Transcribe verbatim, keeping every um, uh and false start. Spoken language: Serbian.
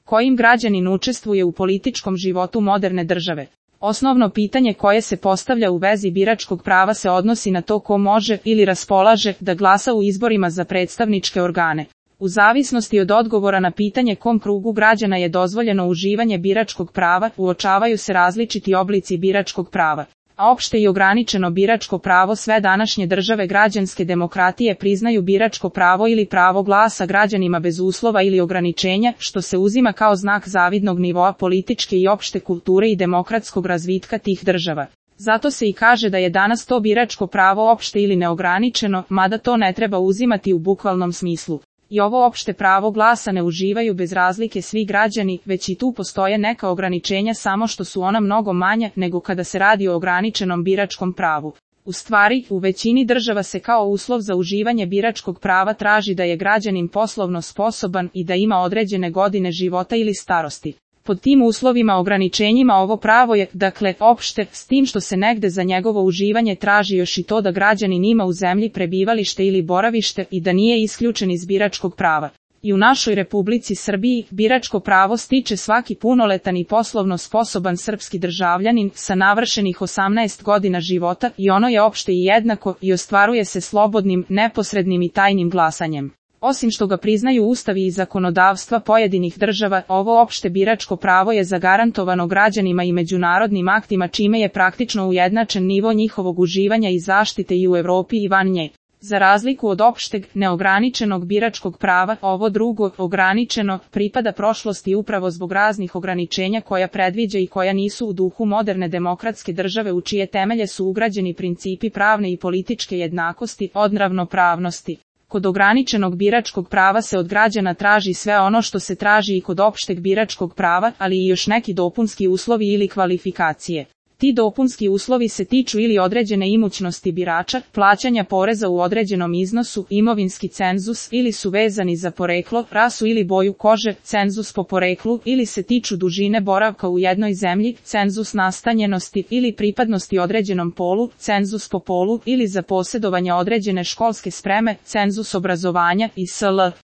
Kojim građanin učestvuje u političkom životu moderne države? Osnovno pitanje koje se postavlja u vezi biračkog prava se odnosi na to ko može ili raspolaže da glasa u izborima za predstavničke organe. U zavisnosti od odgovora na pitanje kom krugu građana je dozvoljeno uživanje biračkog prava, uočavaju se različiti oblici biračkog prava. A opšte i ograničeno biračko pravo sve današnje države građanske demokratije priznaju biračko pravo ili pravo glasa građanima bez uslova ili ograničenja, što se uzima kao znak zavidnog nivoa političke i opšte kulture i demokratskog razvitka tih država. Zato se i kaže da je danas to biračko pravo opšte ili neograničeno, mada to ne treba uzimati u bukvalnom smislu. I ovo opšte pravo glasa ne uživaju bez razlike svi građani, već i tu postoje neka ograničenja, samo što su ona mnogo manja nego kada se radi o ograničenom biračkom pravu. U stvari, u većini država se kao uslov za uživanje biračkog prava traži da je građanin poslovno sposoban i da ima određene godine života ili starosti. Pod tim uslovima ograničenjima ovo pravo je, dakle, opšte, s tim što se negde za njegovo uživanje traži još i to da građanin ima u zemlji prebivalište ili boravište i da nije isključen iz biračkog prava. I u našoj Republici Srbiji biračko pravo stiče svaki punoletan i poslovno sposoban srpski državljanin sa navršenih osamnaest godina života i ono je opšte i jednako i ostvaruje se slobodnim, neposrednim i tajnim glasanjem. Osim što ga priznaju ustavi i zakonodavstva pojedinih država, ovo opšte biračko pravo je zagarantovano građanima i međunarodnim aktima, čime je praktično ujednačen nivo njihovog uživanja i zaštite i u Evropi i van nje. Za razliku od opšteg, neograničenog biračkog prava, ovo drugo, ograničeno, pripada prošlosti upravo zbog raznih ograničenja koja predviđa i koja nisu u duhu moderne demokratske države u čije temelje su ugrađeni principi pravne i političke jednakosti, od ravnopravnosti. Kod ograničenog biračkog prava se od građana traži sve ono što se traži i kod opšteg biračkog prava, ali i još neki dopunski uslovi ili kvalifikacije. Ti dopunski uslovi se tiču ili određene imućnosti birača, plaćanja poreza u određenom iznosu, imovinski cenzus, ili su vezani za poreklo, rasu ili boju kože, cenzus po poreklu, ili se tiču dužine boravka u jednoj zemlji, cenzus nastanjenosti ili pripadnosti određenom polu, cenzus po polu, ili za posjedovanje određene školske spreme, cenzus obrazovanja i sl.